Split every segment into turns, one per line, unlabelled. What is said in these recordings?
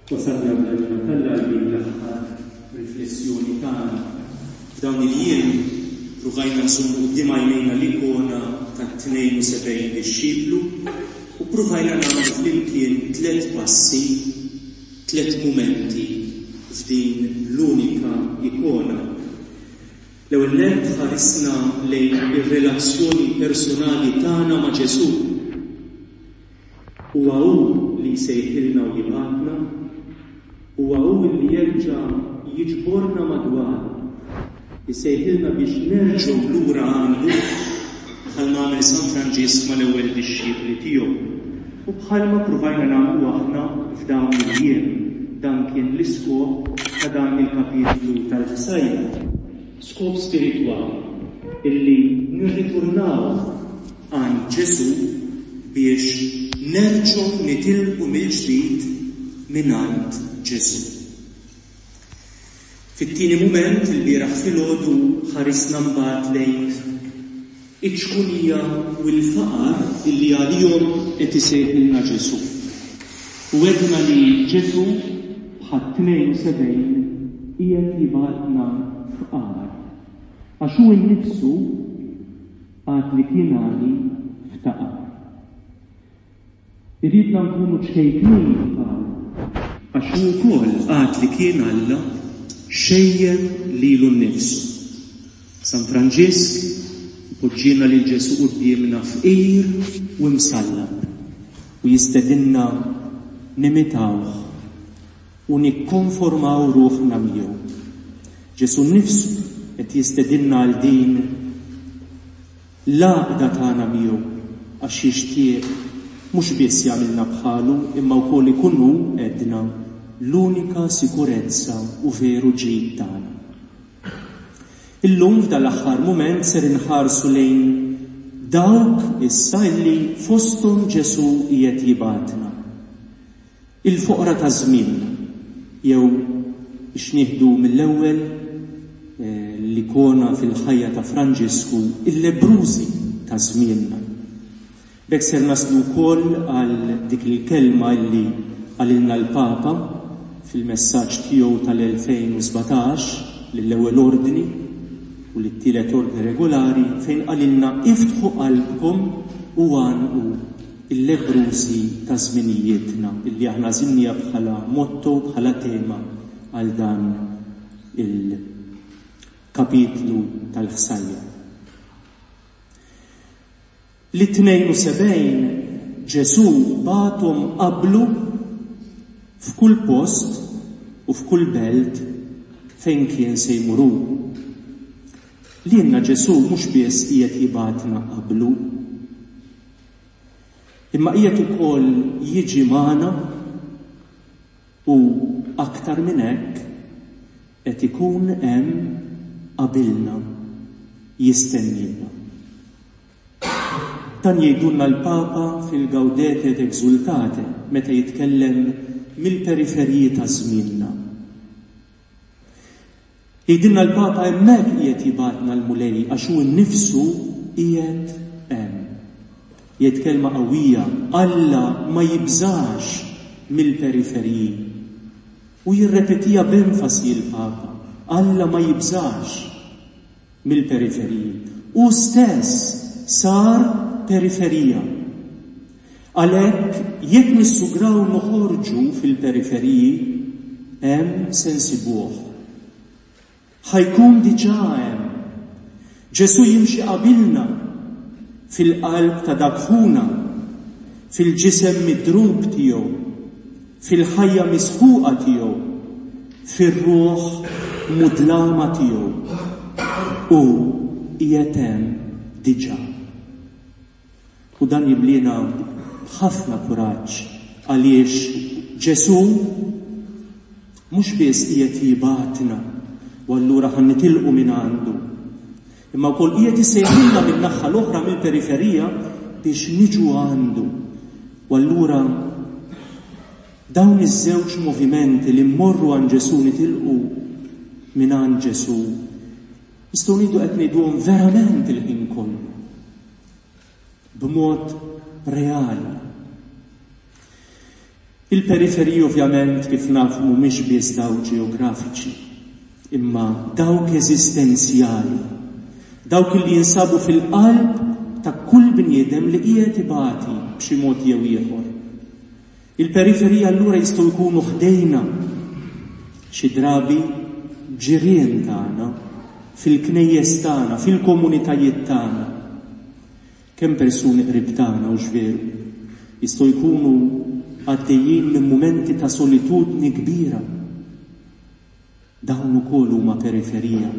Wasalna bl-għajnuna t'Alla għal din l-aħħar riflessjoni tagħna. F'dawn il-jiem pruvajna nżommu quddiem għajnejna l-ikona tat-72 dixxiplu u pruvajna nagħmlu flimkien tlett passi, tlett mumenti f'din l-unika ikona. L-ewwel nett ħarisna lejn ir-relazzjoni personali tagħna ma' Ġesù. Huwa hu li jsejħilna u jibgħatna, huwa hu li jerġa' jiġborna madwaru, isejħilna biex nerġgħu lura għandu bħalma għamel San Franġisk mal-ewwel dixxipli tiegħu u bħalma ppruvajna nagħmlu aħna f'dawn il-jiem. Dan kien l-iskop ta' dan il-kapitlu tal-ħsajjar. Skop spiritwali, illi nirriturnaw għand Ġesù biex nerġgħu nitilqu mill-ġdid mingħand Ġesù. Fit-tieni mument, ilbieraħ filgħodu, ħarisna mbagħad lejn iċ-ċkunija u l-faqar illi għalihom qed isejħilna Ġesù. U għedna li Ġesù, bħat-72, qiegħed jibgħatna fqar. Għax hu nnifsu għad li kien għani ftaqar. Iridna nkunu ċkejknin bħalu, għax hu wkoll għad li kien Alla xejjen lilu nnifsu. San Franġisk ipoġġielna lil Ġesù quddiemna fqir u msallab u jistedinna nimitawh u nikkonformaw ruħna miegħu. Ġesù nnifsu qed jistedinna għal din L-għaqda tagħna miegħu għax jixtieq mhux biss jagħmilna bħalu imma wkoll ikun hu, għedna, l-unika sikurezza u veru ġid tagħna. Illum f'dan l-aħħar mument ser inħarsu lejn dawk issa illi fosthom Ġesù qiegħed jibgħatna. Il-foqra ta' żmienna, jew biex nieħdu mill-ewwel l-ikona fil-ħajja ta' Franġisku, il-lebbrużi ta' żmienna. B'hekk ser naslu wkoll għal dik il-kelma illi qalilna l-Papa fil-messaġġ tiegħu tal-2017 lill-Ewwel Ordni u lit-Tielet Ordni Regolari fejn qalilna iftħu qalbkom u għannqu il-lebbrużi ta' żminijietna, illi aħna għażilniha bħala motto, bħala tema għal dan il-kapitlu tal-ħsajjar. Lit-72 Ġesù bagħathom qablu f'kull post u f'kull belt fejn kien se jmur hu. Lilna Ġesù mhux biss qiegħed jibgħatna qablu, Imma qiegħed ukoll jiġi magħna u aktar minn hekk qed ikun hemm qabilna jistenniena. Dan jgħidulna l-Papa fil-Gaudete et Exultate meta jitkellem mill-periferiji ta' żmienna. Jgħidilna l-Papa hemmhekk qiegħed jibgħatna l-Mulej għax hu nnifsu qiegħed hemm. Jgħid kelma qawwija, Alla ma jibżax mill-periferiji. U jirrepetiha b'enfasi l-Papa, Alla ma jibżax mill-periferiji. Hu stess sar periferija. Għalhekk, jekk nissugraw noħorġu fil-periferiji, hemm se nsibuh. Ħa jkun diġà hemm. Ġesù jimxi qabilna fil-qalb ta' dak ħuna, fil-ġisem midrub tiegħu, fil-ħajja misħuqa tiegħu, fir-ruħ mudlama tiegħu. Hu qiegħed hemm diġà. U dan jimliena b'ħafna kuraġġ għaliex Ġesù mhux biss qiegħed jibgħatna u allura ħa nitilqu minn għandu, imma wkoll qiegħed isejħilna min-naħa l-oħra mill-periferija biex niġu għandu. U allura dawn iż-żewġ movimenti li mmorru għand Ġesù nitilqu minn għand Ġesù, nistgħu ngħidu qed ngħiduhom verament il-ħin kollu. B'mod Reali. Il-periferiji ovvjament kif nafu mhumiex biss dawk ġeografiċi, imma dawk eżistenzjali, dawk li jinsabu fil-qalb ta' kull bniedem li qiegħed ibati b'xi mod jew ieħor. Il-periferiji allura jistgħu jkunu ħdejna, xi drabi ġirien tagħna, fil-knejjes tagħna, fil-komunitajiet tagħna. Kemm persuni qrib tagħna, hux veru, jistgħu jkunu għaddejjin minn mumenti ta' solitudni kbira. Dawn ukoll huma periferija.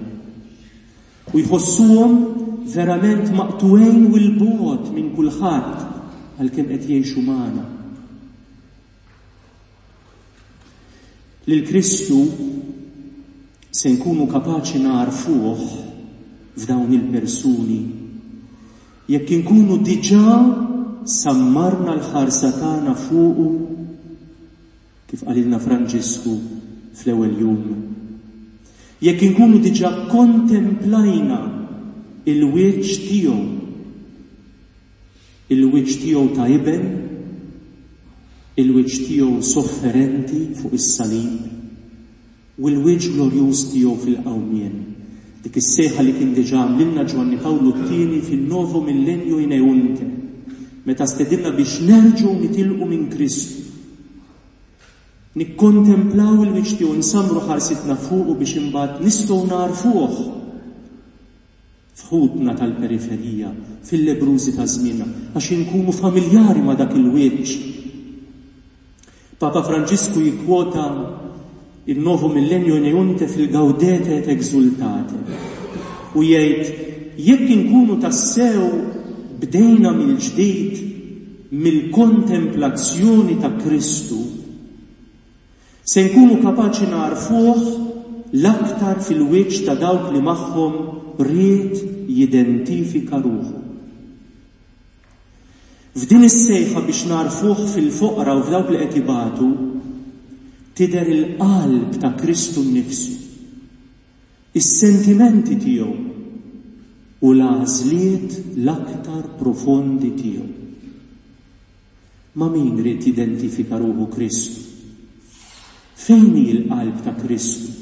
U jħossuhom verament maqtugħin u 'l bogħod minn kulħadd għalkemm qed jgħixu magħna. Lil Kristu se nkunu kapaċi nagħrfuh f'dawn il-persuni jekk inkunu diġà sammarna l-ħarsa tagħna fuqu kif qalilna Franġisku fl-ewwel jum. Jekk inkunu diġà kontemplajna il-wiċċ tiegħu Il-wiċċ tiegħu ta' iben, il-wiċċ tiegħu sofferenti fuq is-salib, u l-wiċċ glorjuż tiegħu fil-qawmien. Dik is-sejħa li kien diġà għamlilna Ġwanni Pawlu t-Tieni fin-Novo Millennio Ineunte, meta stedinna biex nerġgħu nitilqu minn Kristu. Nikkontemplaw il-wiċċ tiegħu, nsammru ħarsitna fuqu biex imbagħad nistgħu nagħrfuh. F'ħutna tal-periferija, fil-lebbrużi ta' żmienna, għax inkunu familjari ma' dak il-wiċċ. Papa Franġisku jikkwota il Novo Millennio Ineunte fil-Gaudete et Exultate u jgħid jekk inkunu tassew bdejna mill-ġdid mill-kontemplazzjoni ta' Kristu, Se nkunu kapaċi nagħrfuh l-aktar fil-wiċċ ta' dawk li magħhom ried jidentifika ruħu. F'din is-sejħa biex nagħrfuh fil-foqra u f'dawk li qed ibatu, tidher il-qalb ta' Kristu nnifsu, is-sentimenti tiegħu u l-għażliet l-aktar profondi tiegħu. Ma' min ried jidentifika ruħu Kristu? Fejn hi l-qalb ta' Kristu?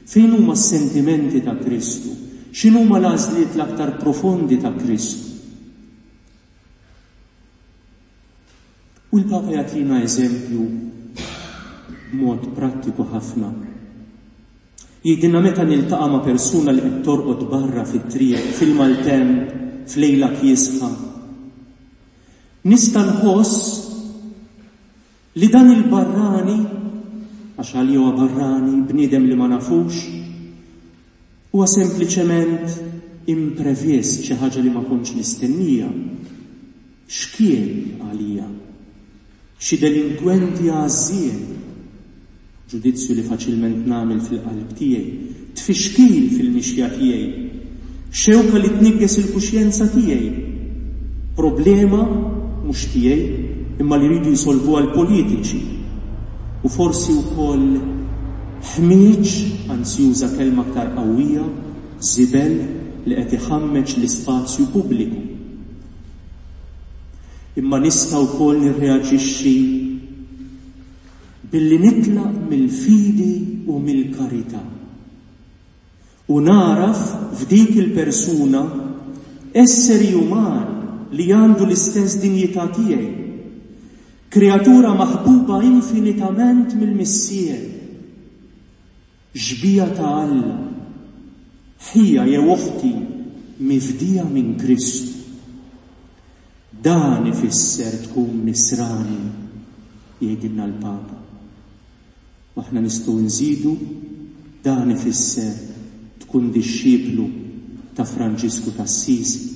Fejn huma s-sentimenti ta' Kristu? X'inhuma l-għażliet l-aktar profondi ta' Kristu? U l-Papa jagħtina eżempju b'mod prattiku ħafna. Jgħidilna meta niltaqa' ma' persuna li qed torqod barra fit-triq, fil-maltemp, f'lejla kiesħa, Nista' nħoss li dan il-barrani, għax għalija huwa barrani, bniedem li ma nafux, huwa sempliċement imprevist, xi ħaġa li ma kontx nistennija. Xkiel għalija? Xi delinkwenti għażżien? Ġudizzju li faċilment nagħmel fil-qalb tiegħi, tfixkil fil-mixja tiegħi, xewka li tniggeż il-kuxjenza tiegħi, problema mhux tiegħi imma li jridu jsolvuha l-politiċi, u forsi wkoll ħmieġ, anzi juża kelma aktar qawwija, żibel li qed iħammeġ l-ispazju pubbliku. Imma nista' wkoll nirreaġixxi Billi nitlaq mill-fidi u mill-karità u nagħraf f'dik il-persuna esseri uman li għandu l-istess dinjità tiegħi, kreatura maħbuba infinitament mill-Missier, xbieha ta' Alla, ħija jew oħti mifdija minn Kristu. Dan ifisser tkun Nisrani, jgħidilna l-Papa. U aħna nistgħu nżidu, dan ifisser tkun dixxiplu ta' Franġisku t'Assisi.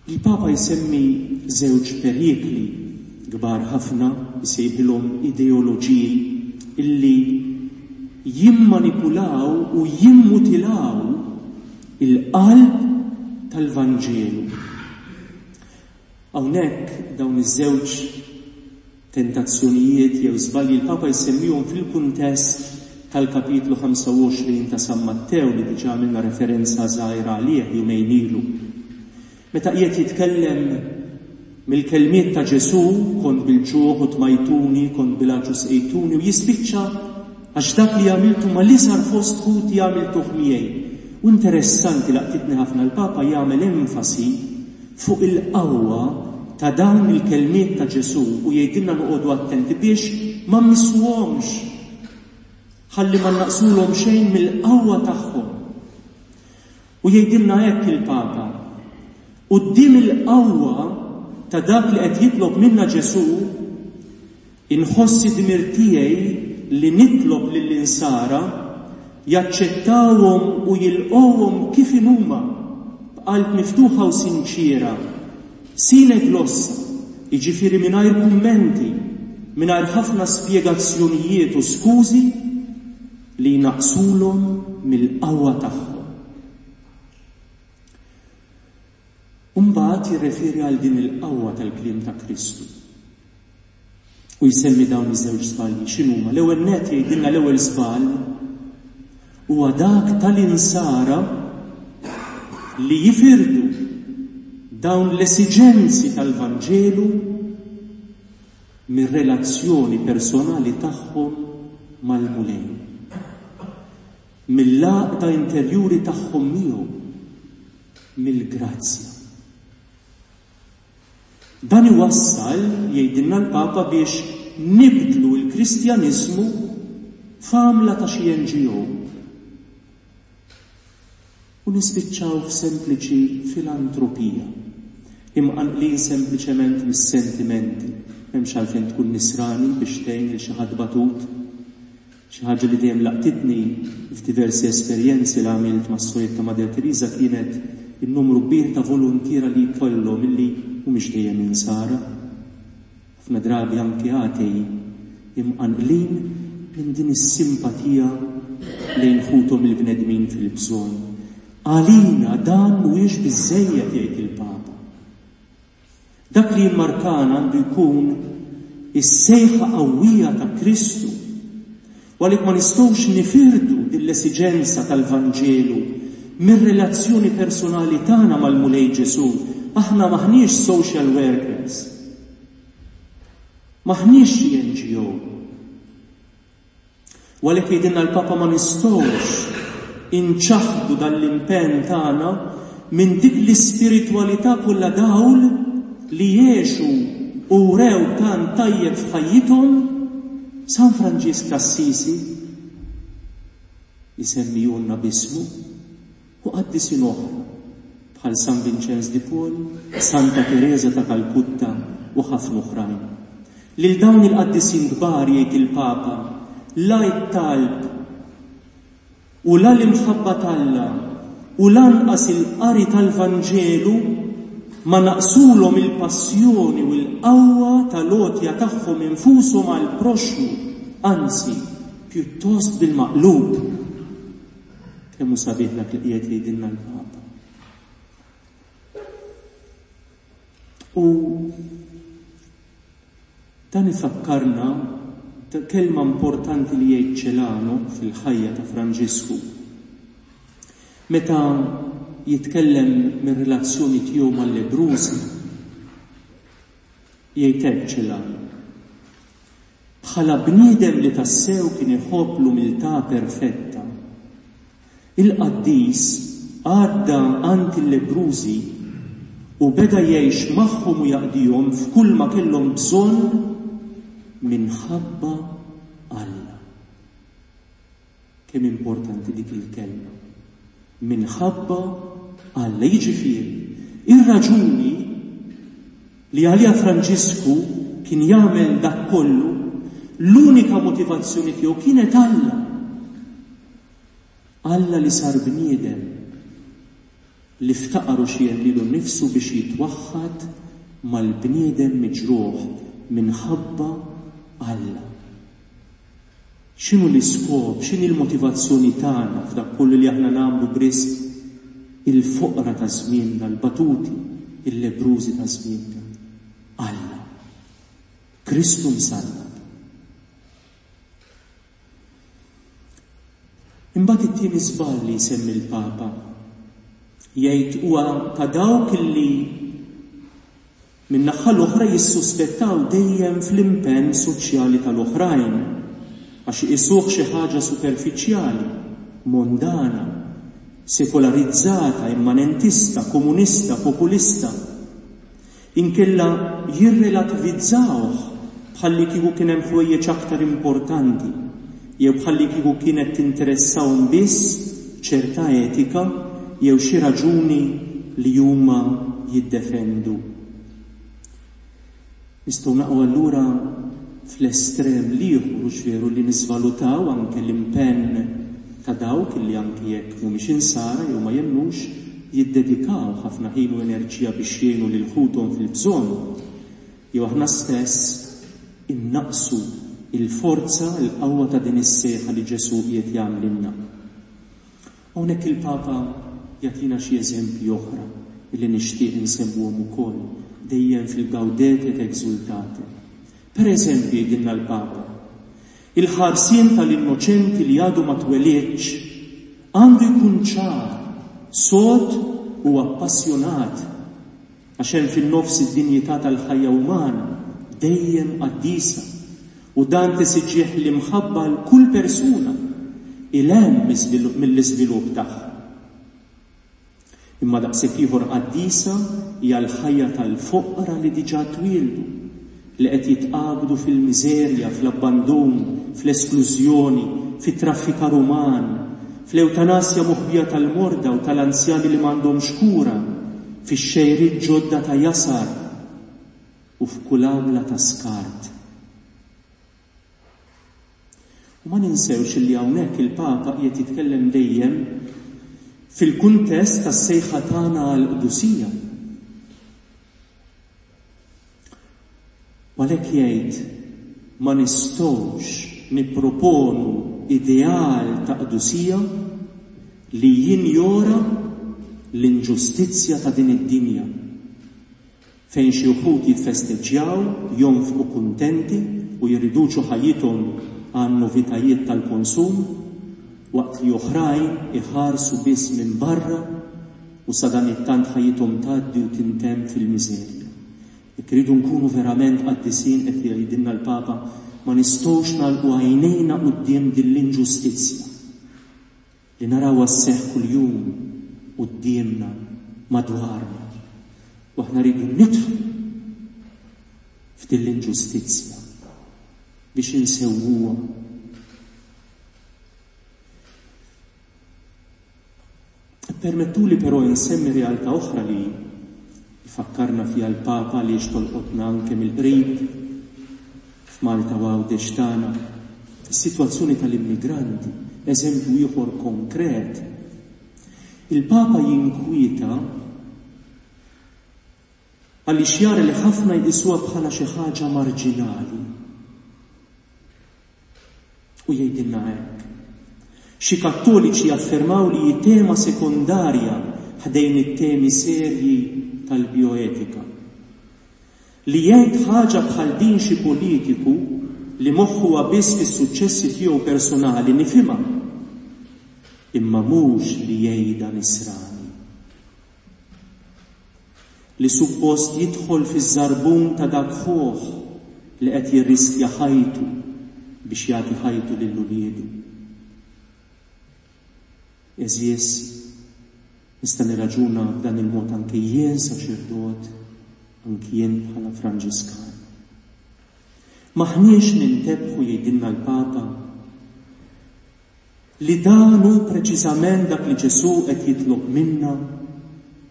Il-Papa jsemmi żewġ perikli kbar ħafna, isejħilhom ideoloġiji, illi jimmanipulaw u jimmutilaw il-qalb tal-Vanġelu. Hawnhekk dawn iż-żewġ tentazzjonijiet jew żbalji l-Papa jsemmihom fil-kuntest tal-kapitlu 25 ta' San Mattew li diġà għamilna referenza żgħira għalih jumejn ilu. Meta qiegħed jitkellem mill-kelmiet ta' Ġesù, kont bil-ġuħ u tmajtuni, kont bil-għatx u sqejtuni, u jispiċċa għax dak li għamiltu mal-iżgħar fost ħuti għamiltuh miegħi. U interessanti laqtitni ħafna l-Papa jagħmel enfasi fuq il-qawwa ta' dawn il-kelmiet ta' Ġesù u jgħidilna noqogħdu attenti biex ma mmissuhomx ħalli ma naqsulhom xejn mill-qawwa tagħhom. U jgħidilna hekk il-Papa, Quddiem il-qawwa ta' dak li qed jitlob minna Ġesù, inħoss id-dmir tiegħi li nitlob lill-Insara jaċċettawhom u jilqgħuhom kif inhuma, b'qalb miftuħa u sinċiera, sine glossa, jiġifieri mingħajr kummenti, mingħajr ħafna spjegazzjonijiet u skużi li jnaqqsulhom mill-qawwa tagħhom. U mbagħad jirreferi għal din il-qawwa tal-kliem ta' Kristu. U jsemmi dawn iż-żewġ żbalji. X'inhuma? L-ewwel nett jgħidilna l-ewwel żball huwa dak tal-insara li jifirdu dawn l-esiġenzi tal-Vanġelu mir-relazzjoni personali tagħhom mal-Mulej. Mill-għaqda interjuri tagħhom miegħu, mill-grazzja. Dan iwassal, jgħidilna l-Papa, biex nibdlu l-Kristjaniżmu f'għamla ta' xi NGO. U nispiċċaw f'sempliċi filantropija, imqanqlin sempliċement mis-sentimenti. M'hemmx għalfejn tkun Nisrani biex tgħin lil xi ħadd batut. Xi ħaġa li dejjem laqtitni f'diversi esperjenzi li għamilt mas-Sorijiet ta' Madre Teresa kienet in-numru kbir ta' voluntiera li jkollhom illi mhumiex dejjem Insara. Ħafna drabi anki atei, imqanqlin minn din is-simpatija lejn ħuthom il-bnedmin fil-bżonn. Għalina dan mhuwiex biżżejjed jgħid il-Papa. Dak li jimmarkana għandu jkun is-sejħa qawwija ta' Kristu. U għalhekk ma nistgħux nifirdu din l-esiġenza tal-Vanġelu mir-relazzjoni personali tagħna mal-Mulej Ġesù. Aħna m'aħniex social workers. M'aħniex xi NGO. U għalhekk jgħidilna l-Papa ma nistgħux inċaħħdu dan l-impenn tagħna minn dik l-ispiritwalità kollha dawl li għexu u wrew tant tajjeb f'ħajjithom San Franġisk t'Assisi, isemmihulna b'ismu, u qaddisin oħra bħal San Vinċenz di Paul, Santa Tereża ta' Kalkutta u ħafna oħrajn. Lil dawn il-qaddisin kbar jgħid il-Papa, la t-talb u la l-imħabba t'Alla u lanqas il-qari tal-Vanġelu ma naqsulhom il-passjoni u l-qawwa tal-għotja tagħhom infushom għall-proxxmu, anzi, pjuttost bil-maqlub. Kemm hu sabiħ dak li qiegħed jgħidilna l-Papa. U dan ifakkarna kelma importanti li jgħid Celano fil-ħajja ta' Franġisku. Meta jitkellem mir-relazzjoni tiegħu mal-lebrużi, jgħid hekk Celano. Bħala bniedem li tassew kien iħobb l-umiltà perfetta, il-qaddis għadda għand il-lebbrużi u beda jgħix magħhom u jaqdihom f'kulma kellhom bżonn minħabba Alla. Kemm importanti dik il-kelma. Minħabba Alla. Jiġifieri, ir-raġuni li għaliha Franġisku kien jagħmel dak kollu, l-unika motivazzjoni tiegħu kienet Alla. Alla li sar bniedem li ftaqar u xiegħed lilu nnifsu biex jitwaħħad mal-bniedem miġruħ minħabba Alla. X'inhu l-iskop, x'inhi l-motivazzjoni tagħna f'dak kollu li aħna nagħmlu b'risq il-foqra ta' żmienna, l-batuti, il-lebbrużi ta' żmienna? Alla. Kristu msallab. it-tieni żball li jsemmi l-Papa. Jgħid huwa ta' dawk li min-naħa l-oħra jissuspettaw dejjem fl-impenn soċjali tal-oħrajn għax iqisuh xi ħaġa superfiċjali, mondana, sekolarizzata, immanentista, komunista, populista. Inkella jirrelativizzawh bħallikieku kien hemm ħwejjeġ aktar importanti jew bħallikieku kienet tinteressahom biss ċerta etika jew xi raġuni li huma jiddefendu. Nistgħu naqgħu allura fl-estrem l-ieħor, hux veru, li niżvalutaw anke l-impenn ta' dawk li anke jekk mhumiex insara jew ma jemmnux, jiddedikaw ħafna ħin u enerġija biex jgħinu lil ħuthom fil-bżonn, jew aħna stess innaqqsu l-forza, l-qawwa ta' din is-sejħa li Ġesù qiegħed jagħmlilna. Hawnhekk il-Papa jagħtina xi eżempji oħra li nixtieq insemmuhom ukoll, dejjem fil-Gaudete et Exultate. Per eżempju, jgħidilna l-Papa, il-ħarsien tal-innoċenti li għadu ma twelidx għandu jkun ċar, sod u appassjonat, għax hemm fin-nofs id-dinjità tal-ħajja umana, dejjem qaddisa, u dan tesiġih l-imħabba għal kull persuna, 'il hemm mill-iżvilupp tagħha. Imma daqshekk ieħor qaddisa hija l-ħajja tal-foqra li diġà twieldu, li qed jitqabdu fil-miżerja, fl-abbandun, fl-esklużjoni, fit-traffikar uman, fl-ewtanasja moħbija tal-morda u tal-anzjani li m'għandhomx kura, fix-xejriet ġodda ta' jasar u f'kull għamla ta' skart. U ma ninsewx li hawnhekk il-Papa qiegħed jitkellem dejjem fil-kuntest tas-sejħa tagħna għall-qdusija. U għalhekk jgħid ma nistgħux nipproponu ideal ta' qdusija li jinjora l-inġustizzja ta' din id-dinja. Fejn xi wħud jitfesteġġjaw, jonfqu kuntenti u jirriduċu ħajjithom għan-novitajiet tal-konsum, waqt li oħrajn iħarsu biss minn barra u sadanittant ħajjithom tgħaddi u tintemm fil-miżerja. Jekk irridu nkunu verament qaddisin, qed jgħidilna l-Papa, ma nistgħux nagħlqu għajnejna quddiem din l-inġustizzja. Li narawha sseħħ kuljum quddiemna, madwarna. U aħna rridu nidħlu f'din l-inġustizzja biex insewwuha. Permettuli però insemmi realtà oħra li jfakkarna fiha l-Papa għaliex tolqotna anke mill-qrib f'Malta u Għawdex tagħna. Is-sitwazzjoni tal-immigranti, eżempju ieħor konkret. Il-Papa jinkwieta għaliex jara li ħafna jqisuha bħala xi ħaġa marġinali. U jgħidilna hekk. Xi Kattoliċi jaffermaw li hi tema sekondarja ħdejn it-temi serji tal-bioetika. Li jgħid ħaġa bħal din xi politiku li moħħu huwa biss fis-suċċessi tiegħu personali nifhimha. Imma mhux li jgħidha Nisrani. Li suppost jidħol fiż-żarbun ta' dak ħuh li qed jirriskja ħajtu biex jagħti ħajtu lil uliedu. Għeżież, nista' nirraġuna b'dan il-mod anke jien saċerdot, anki jien bħala Franġiskan. M'aħniex nintebħu jgħidilna l-Papa Li dan hu preċiżament dak li Ġesù qed jitlob minna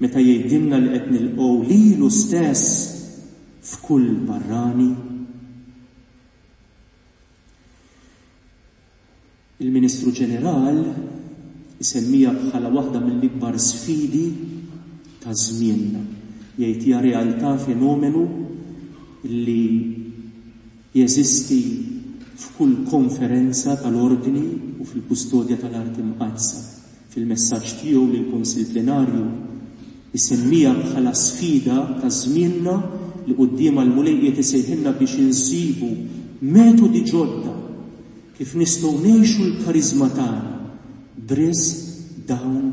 meta jgħidilna li qed nilqgħu lilu stess f'kull barrani. Il-Ministru Ġeneral isemmiha bħala waħda mill-ikbar sfidi ta' żmienna. Jgħid hija realtà fenomenu li Jeżisti f'kull konferenza tal-Ordni u fil-Kustodja tal-Art Imqaddsa. Fil-messaġġ tiegħu lill-Kunsill Plenarju, isemmiha bħala sfida ta' żmienna li quddiemha l-Mulej qiegħed isejħilna biex insibu metodi ġodda kif nistgħu ngħixu l-kariżma tagħna. B'risq dawn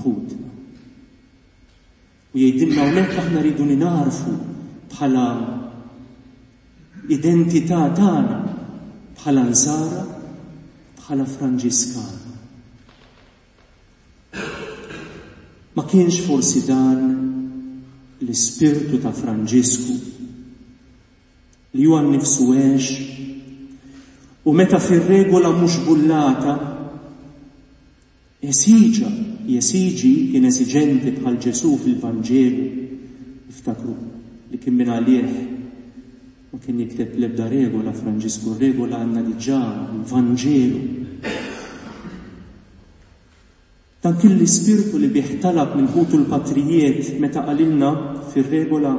ħutna. U jgħidilna hawnhekk aħna rridu ningħarfu bħala identità tagħna bħala Nsara, bħala Franġiskani. Ma kienx forsi dan l-ispirtu ta' Franġisku li huwa nnifsu għex u meta fir-regola mhux bullata esiġa, jesiġi kien esiġenti bħal Ġesù fil-Vanġelu, iftakru li kien minn għalih ma kien jikteb l-ebda regola Franġisku, regola għandna diġà l-Vanġelu. Dan kien l-ispirtu li bih talab minn ħutu l-patrijiet meta qalilna fir-regola,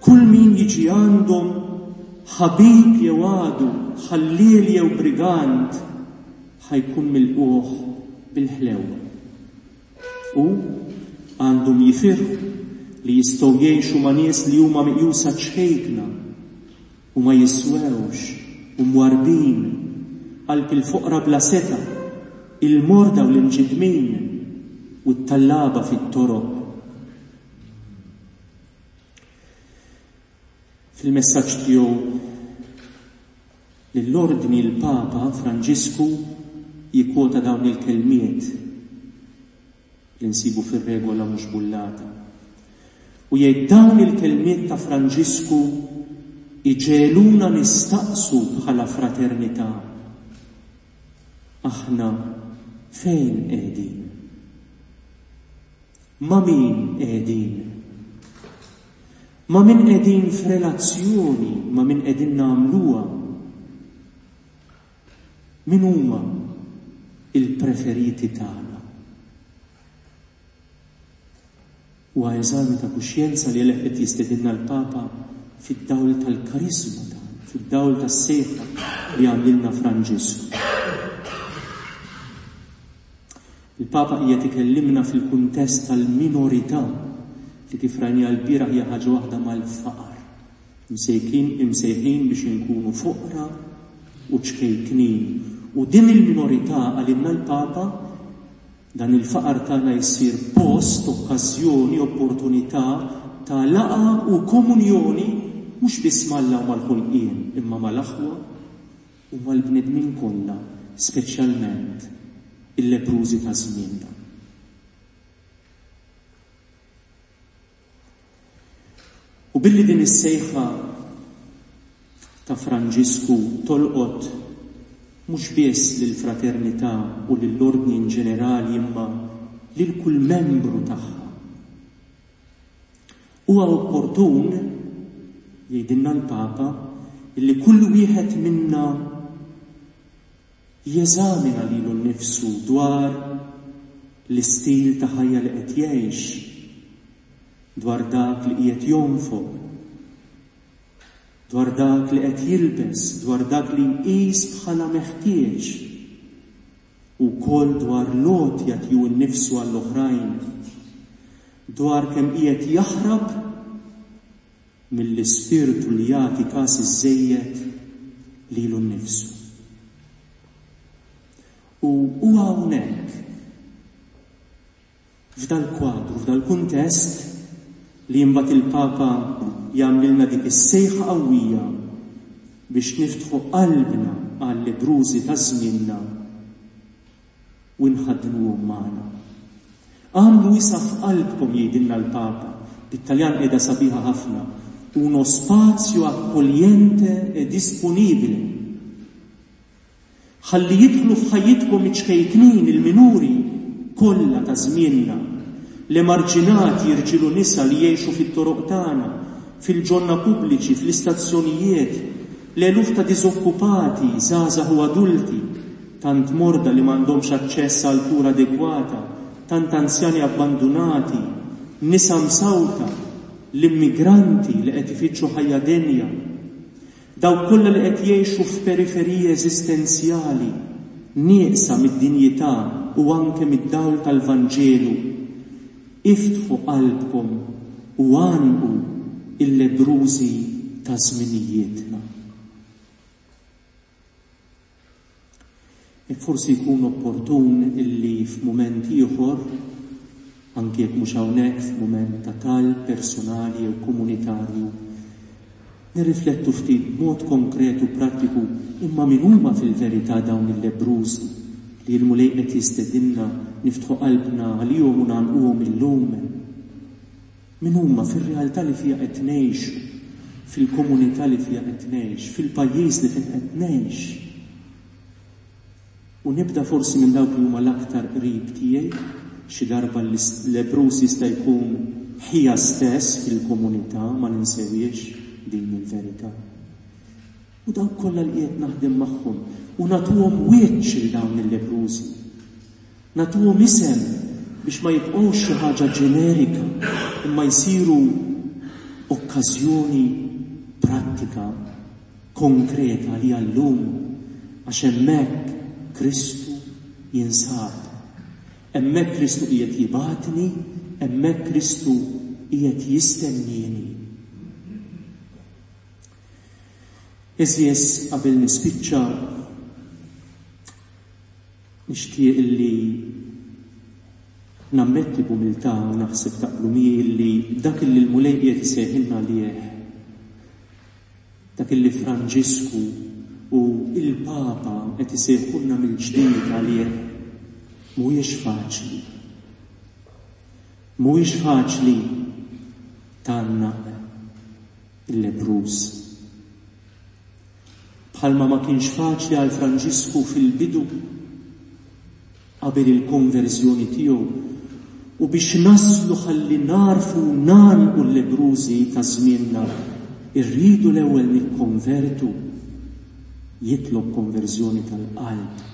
Kull min jiġi għandhom, ħabib jew għadu, ħalliel jew brigant, ħa jkun milqugħ bil-ħlewwa. U għandhom jifirħu li jistgħu jgħixu ma' nies li huma meqjusa ċkejkna u ma jiswewx u mwarrbin, qalb il-foqra bla setgħa, il-morda u l-imġiddmin, u t-tallaba fit-toroq. Fil-messaġġ tiegħu lill-Ordni l-Papa Franġisku jikkwota dawn il-kelmiet li nsibu fir-regola mhux bullata. U jgħid dawn il-kelmiet ta' Franġisku iġegħluna nistaqsu bħala fraternità, aħna fejn qegħdin? Ma' min qegħdin? Ma' min qegħdin f'relazzjoni, ma' min qegħdin nagħmluha? Min huma l-preferiti tagħna? Huwa eżami ta' kuxjenza li għalih qed jistedinna l-Papa fid-dawl tal-kariżma tagħna, fid-dawl tas-sejħa li għamlilna Franġisku. Il-Papa qiegħed ikellimna fil-kuntest tal-minorità li kif rajniha lbieraħ hija ħaġa waħda mal-faqar. Imsejkin imsejħin biex inkunu foqra u ċkejknin. U din il-minorità, qalilna l-Papa, dan il-faqar tagħna jsir post, okkażjoni, opportunità ta' laqgħa u komunjoni mhux biss m'Alla u mal-ħolqien, imma mal-aħwa u mal-bnedmin kollha, speċjalment il-lebbrużi ta' żmienna. U billi din is-sejħa ta' Franġisku tolqot mhux biss lill-fraternità u lill-Ordni in ġenerali imma lil kull membru tagħha, huwa opportun, jgħidilna l-Papa, illi kull wieħed minna jeżamina lilu nnifsu dwar l-istil ta' ħajja li qed jgħix, dwar dak li qiegħed jonfoq, dwar dak li qed jilbes, dwar dak li jqis bħala meħtieġ, u wkoll dwar l-għotja tiegħu nnifsu għall-oħrajn, dwar kemm qiegħed jaħrab mill-ispirtu li jagħti kas iżżejjed lilu nnifsu. U huwa hawnhekk, f'dal-kwadru, f'dal-kuntest, li imbagħad il-Papa jagħmlilna dik is-sejħa qawwija biex niftħu qalbna għal-lebbrużi ta' żmienna u nħaddnuhom magħna. Agħmlu wisa' f'qalbkom, jgħidilna l-Papa, bit-Taljan qiegħda sabiħa ħafna, uno spazio accogliente e disponibile. Ħalli jidħlu f'ħajjitkom iċ-ċkejknin, il-minuri, kollha ta' żmienna, l-emarġinati, irġiel u nisa li jgħixu fit-toroq tagħna, fil-ġonna pubbliċi, fl-istazzjonijiet, l-eluf ta' diżokkupati, żgħażagħ u adulti, tant morda li m'għandhomx aċċess għal kura adegwata, tant anzjani abbandunati, nisa msawta, l-immigranti li qed ifittxu ħajja denja, dawk kollha li qed jgħixu f'periferiji eżistenzjali, nieqsa mid-dinjità u anke mid-dawl tal-Vanġelu. Iftħu qalbkom u għannqu l-lebbrużi ta' żminijietna. Hekk forsi jkun opportun illi f'mument ieħor, anki jekk mhux hawnhekk f'mument ta' talb personali jew komunitarju, nirriflettu ftit b'mod konkret u prattiku imma min huma fil-verità dawn il-lebbrużi li l-Mulej qed jistedinna niftħu qalbna għalihom u ngħannquhom illum. Min huma fir-realtà li fiha qed ngħixu, fil-komunità li fiha qed ngħix, fil-pajjiż li fih qed ngħix. U nibda forsi minn dawk li huma l-aktar qrib tiegħi, xi darba l-lebbruż jista' jkun ħija stess fil-komunità, ma ninsewhiex din il-verità. U dawk kollha li qiegħed naħdem magħhom u nagħtuhom wiċċ lil dawn il-lebbrużi. Nagħtuhom isem biex ma jibqgħux xi ħaġa ġenerika imma jsiru okkażjoni prattika, konkreta għalija llum għax hemmhekk Kristu jinsab. Hemmhekk Kristu qiegħed jibgħatni, hemmhekk Kristu qiegħed jistennieni. Għeżież qabel nispiċċa Nixtieq illi nammetti b'umiltà u naħseb taqblu miegħi illi dak illi l-Mulej qiegħed isejħilna għalih, dak illi Franġisku u l-Papa qed isejħulna mill-ġdid għalih, mhuwiex faċli. Mhuwiex faċli tgħannaq il-lebbruż. Bħalma ma kienx faċli għal Franġisku fil-bidu, qabel il-konverżjoni tiegħu, u biex naslu ħalli nagħrfu u ngħannqu l-lebbrużi ta' żmienna, irridu l-ewwel nikkonvertu, jitlob konverżjoni tal-qalb.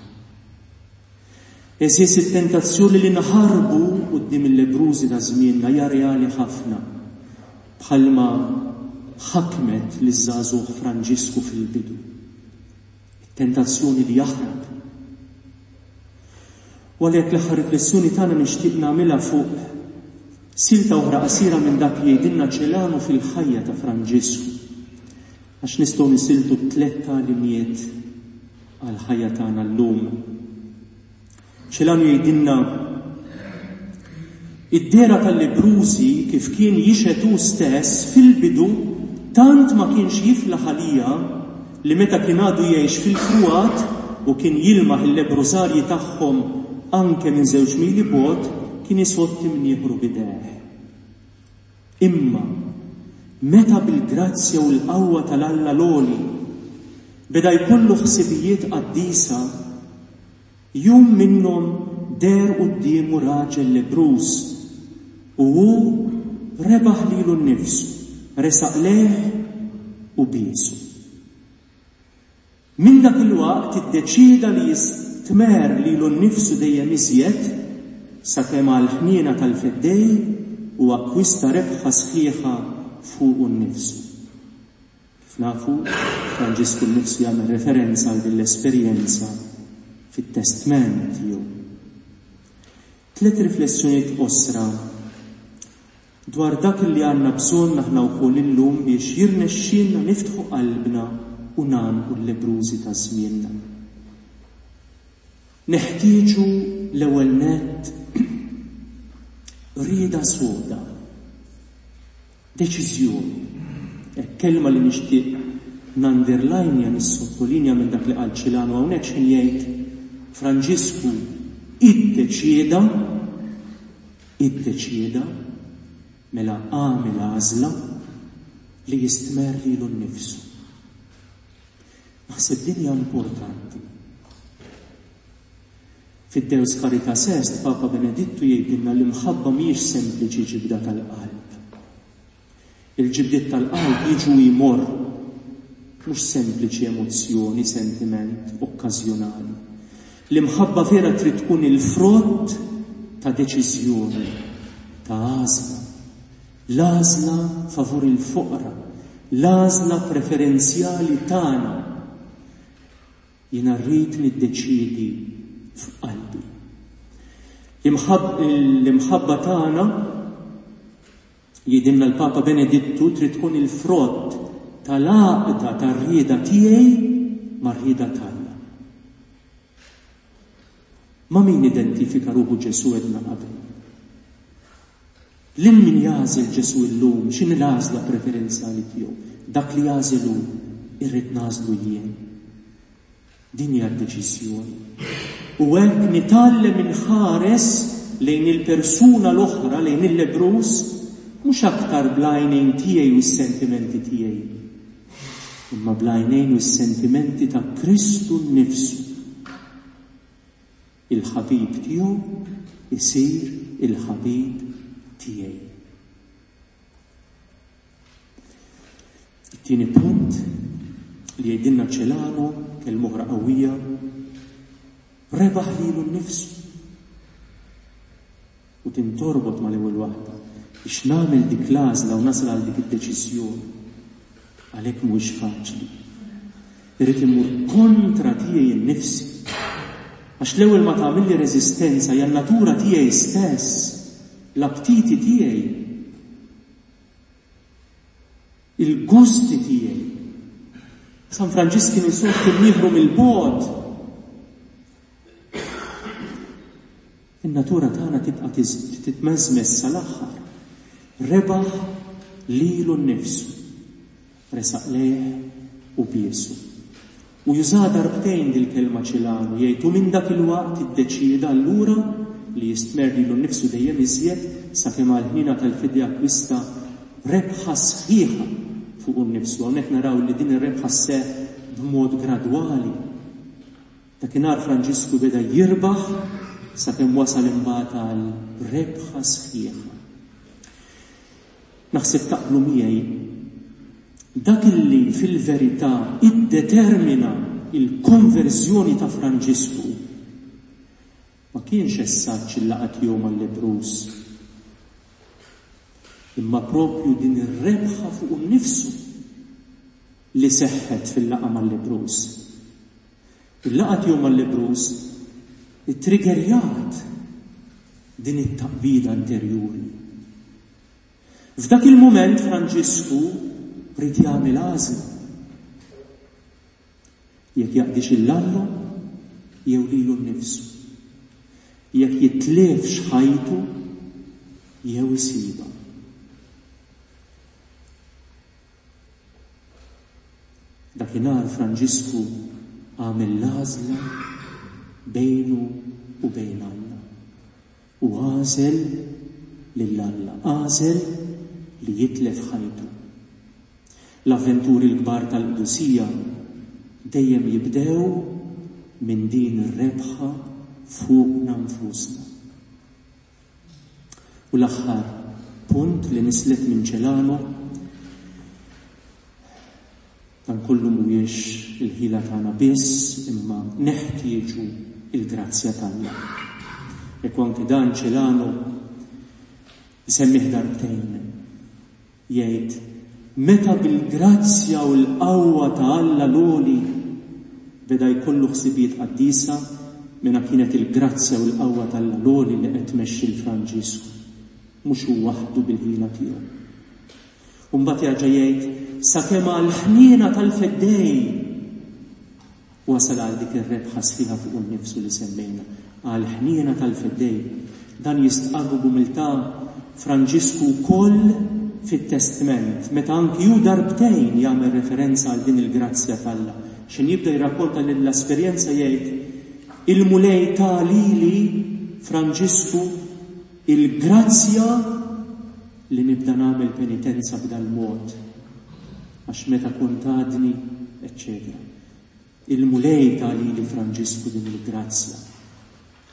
Għeżież it-tentazzjoni li naħarbu quddiem il-lebbrużi ta' żmienna hija reali ħafna, bħalma ħakmet liż-żagħżugħ Franġisku fil-bidu. It-tentazzjoni li jaħrab. U għalhekk l-aħħar riflessjoni tagħna nixtieq nagħmilha fuq silta oħra qasira minn dak li jgħidilna Celano fil-ħajja ta' Franġisku. Għax nistgħu nisiltu tlett tagħlimiet għall-ħajja tagħna llum. Celano jgħidilna Id-dehra tal-lebbrużi kif kien jixhed hu stess fil-bidu tant ma kienx jiflaħ għaliha li meta kien għadu jgħix fil-Frugħat u kien jilmaħ il-lebbrużarji tagħhom anke minn żewġ mili bogħod kien isodd imnieħru b'idejh. Imma, meta bil-grazzja u l-qawwa tal-Alla l-Għoli beda jkollu ħsibijiet qaddisa, jum minnhom deher quddiemu raġel lebbruż, u hu rebaħ lilu nnifsu, resaq lejh u biesu. Minn dak il-waqt iddeċieda li jistmerr lilu nnifsu dejjem iżjed sakemm għall-ħniena tal-Feddej hu akkwista rebħa sħiħa fuqu nnifsu. Kif nafu, Franġisku nnifsu jagħmel referenza għal din l-esperjenza fit-testment tiegħu. Tliet riflessjonijiet qosra dwar dak li għandna bżonn aħna wkoll illum biex jirnexxielna niftħu qalbna u ngħannqu l-lebbrużi ta' żmienna. Neħtieġu l-ewwel nett rieda soda, deċiżjoni. Hekk kelma li nixtieq nunderlinja, nissottolinja minn dak li qal Ċilano hawnhekk x'ħin jgħid Franġisku iddeċieda Iddeċieda, mela għamel għażla, li jistmerr lilu nnifsu. Naħseb din hija importanti. Fid-Deus Caritas Est, Papa Benedittu jgħidilna l-imħabba mhijiex sempliċi ġibda tal-qalb. Il-ġibdiet tal-qalb jiġu u jmorru. Mhux sempliċi emozzjoni, sentiment okkażjonali. L-imħabba vera trid tkun il-frott ta' deċiżjoni, ta' għażla. L-għażla favur il-foqra, l-għażla preferenzjali tagħna. Jiena rrid niddeċiedi f'qalbi. L-imħabba tagħna Jgħidilna l-Papa Benedittu trid tkun il-frott tal-għaqda tar-rieda tiegħi mar-rieda t'Alla. Ma' min identifika ruħu Ġesù għedna qabel? Lil min jagħżel Ġesù illum, x'inhi l-għażla preferenzjali tiegħu? Dak li jagħżel hu, irrid nagħżlu jien. Din hija d-deċiżjoni. U hekk nitgħallem inħares lejn il-persuna l-oħra, lejn il-lebbruż, mhux aktar bl-għajnejn tiegħi u s-sentimenti tiegħi, imma bl-għajnejn u s-sentimenti ta' Kristu nnifsu. Il-ħabib tiegħu isir il-ħabib tiegħi. It-tieni punt li jgħidilna Celano, kelma oħra qawwija, rebaħ lilu nnifsu. U tintorbot mal-ewwel waħda biex nagħmel dik l-għażla u nasal għal dik id-deċiżjoni. Għalhekk mhuwiex faċli. Irrid immur kontra tiegħi nnifsi. Għax l-ewwel ma tagħmilli reżistenza hija n-natura tiegħi stess, l-aptiti tiegħi, il-gusti tiegħi. San Franġisk kien isur kien nieħru mill-bogħod. In-natura tagħna tibqa' titmeżmeż sal-aħħar. Rebaħ lilu nnifsu. Resaq lejh u biesu. U jużaha darbtejn dil-kelma Ċilanu, jgħid u minn dak il-waqt iddeċieda allura li jistmerr lilu nnifsu dejjem iżjed sakemm għall-ħniena tal-fidja akkwista rebħa sħiħa fuqu nnifsu. Hawnhekk naraw li din ir-rebħa sseħħ b'mod gradwali. Dakinhar Franġisku beda jirbaħ sakemm wasal imbagħad għal rebħa sħiħa. Naħseb taqblu miegħi, dak illi fil-verità iddetermina l-konverżjoni ta' Franġisku ma kienx essaġġ il-laqgħa tiegħu mal-lebbruż, imma proprju din ir-rebħa fuqu nnifsu li seħħet fil-laqgħa mal-lebbruż. Il-laqgħa tiegħu mal-lebbruż ittriggerjat din it-taqbida interjuri. F'dak il-mument Franġisku ried jagħmel għażla. Jekk jaqdix 'il Alla jew lilu nnifsu. Jekk jitlifx ħajtu jew isibha. Dakinhar Franġisku għamel l-għażla bejnu u bejn Alla. U għażel lil Alla, għażel li jitlef ħajtu. L-avventuri l-kbar tal-qdusija dejjem jibdew minn din ir-rebħa fuqna nfusna. U l-aħħar punt li nislet minn Celano, dan kollu mhuwiex il-ħila tagħna biss imma neħtieġu il-grazzja t'Alla. Hekk anke dan Celano isemmih darbtejn. Jgħid, Meta bil-grazzja u l-qawwa ta' Alla l-Għoli beda jkollu ħsibijiet qaddisa, mela kienet il-grazzja u l-qawwa t'Alla l-Għoli li qed tmexxi 'l Franġisku, mhux hu waħdu bil-ħila tiegħu. U mbagħad jerġa' jgħid, Sakemm għall-ħniena tal-Feddej Wasal għal dik ir-rebħa sħiħa fuqu nnifsu li semmejna, għall-ħniena tal-Feddej. Dan jistqarru b'umiltà Franġisku wkoll fit-Testment, meta anki hu darbtejn jagħmel referenza għal din il-grazzja t'Alla. X'ħin jibda jirrakkonta l-esperjenza jgħid, Il-Mulej ta lili, Franġisku, il-grazzja li nibda nagħmel penitenza b'dal-mod, għax meta kont għadni, eċċetera. Il-Mulej ta lili Franġisku din il-grazzja.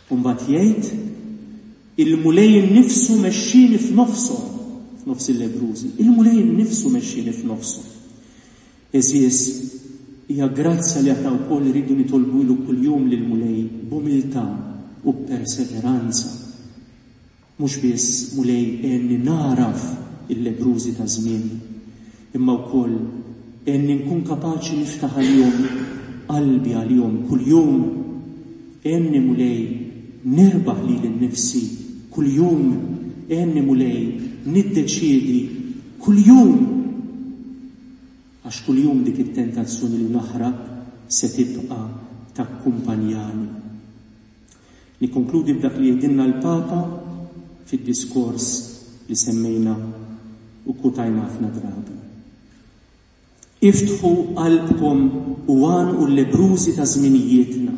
U mbagħad jgħid, Il-Mulej innifsu mexxieni f'nofshom, f'nofs il-lebbrużi. Il-Mulej innifsu mexxieni f'nofshom. Għeżież, hija grazzja li aħna wkoll irridu nitolbulu kuljum lill-Mulej b'umiltà u b'perseveranza. Mhux biss, Mulej, għenni nagħraf il-lebbrużi ta' żmieni, imma wkoll għenni nkun kapaċi niftaħ għalihom qalbi għalihom kuljum. Għenni, Mulej, nirbaħ lili nnifsi kuljum. Għenni, Mulej, niddeċiedi kuljum. Għax kuljum dik it-tentazzjoni li naħrab se tibqa' takkumpanjani. Nikkonkludi b'dak li jgħidilna l-Papa fid-diskors li semmejna u kkutajna ħafna drabi. Iftħu qalbkom u għanqu l-lebbrużi ta' żminijietna.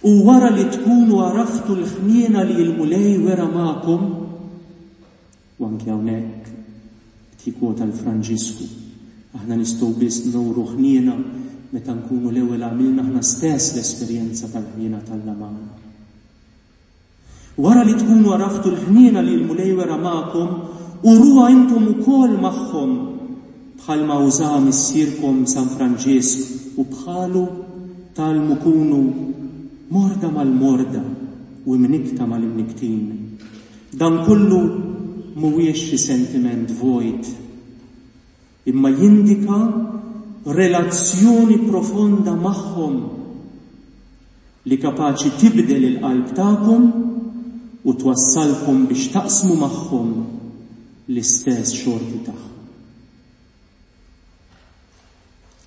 U wara li tkunu għaraftu l-ħniena li l-Mulej wera magħkom, u anki hawnhekk qed jikkwota l-Franġisku, aħna nistgħu biss nuru ħniena meta nkunu l-ewwel għamilna aħna stess l-esperjenza tal-ħniena t'Alla magħna. Wara li tkunu għaraftu l-ħniena li l-Mulej wera magħkom, uruha intom ukoll magħhom, bħalma użaha missierkom San Franġisk u bħalu tgħallmu kunu morda mal-morda u imnikkta mal-imnikktin. Dan kollu mhuwiex xi sentiment vojt, imma jindika relazzjoni profonda magħhom li kapaċi tibdel il-qalb tagħkom u twassalkom biex taqsmu magħhom l-istess xorti tagħhom.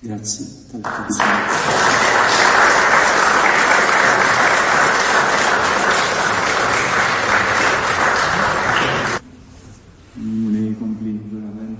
Grazzi tal-attenzjoni.
Mulej kompli verament.